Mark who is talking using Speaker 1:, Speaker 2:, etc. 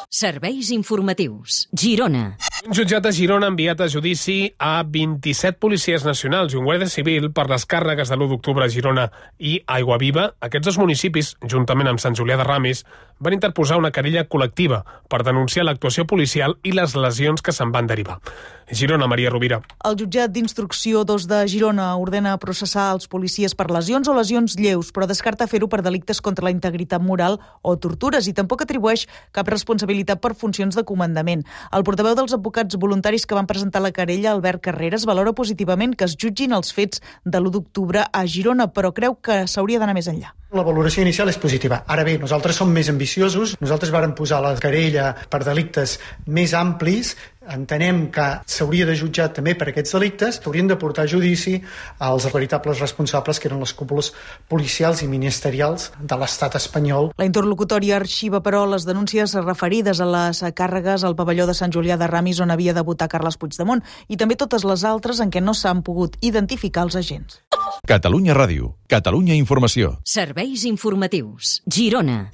Speaker 1: Serveis informatius. Girona.
Speaker 2: Un jutjat de Girona ha enviat a judici a 27 policies nacionals i un guàrdia civil per les càrregues de l'1 d'octubre a Girona i Aiguaviva. Aquests dos municipis, juntament amb Sant Julià de Ramis, van interposar una querella col·lectiva per denunciar l'actuació policial i les lesions que se'n van derivar. Girona, Maria Rovira.
Speaker 3: El jutjat d'instrucció 2 de Girona ordena processar els policies per lesions o lesions lleus, però descarta fer-ho per delictes contra la integritat moral o tortures i tampoc atribueix cap responsabilitat per funcions de comandament. El portaveu dels advocats voluntaris que van presentar la querella, Albert Carreras, valora positivament que es jutgin els fets de l'1 d'octubre a Girona, però creu que s'hauria d'anar més enllà.
Speaker 4: La valoració inicial és positiva. Ara bé, nosaltres som més ambiciosos. Nosaltres vàrem posar la querella per delictes més amplis. Entenem que s'hauria de jutjar també per aquests delictes. S'haurien de portar a judici als veritables responsables, que eren les cúpules policials i ministerials de l'estat espanyol.
Speaker 3: La interlocutòria arxiva, però, les denúncies referides a les càrregues al pavelló de Sant Julià de Ramis on havia de votar Carles Puigdemont i també totes les altres en què no s'han pogut identificar els agents.
Speaker 5: Catalunya Ràdio. Catalunya Informació.
Speaker 1: Serveis informatius. Girona.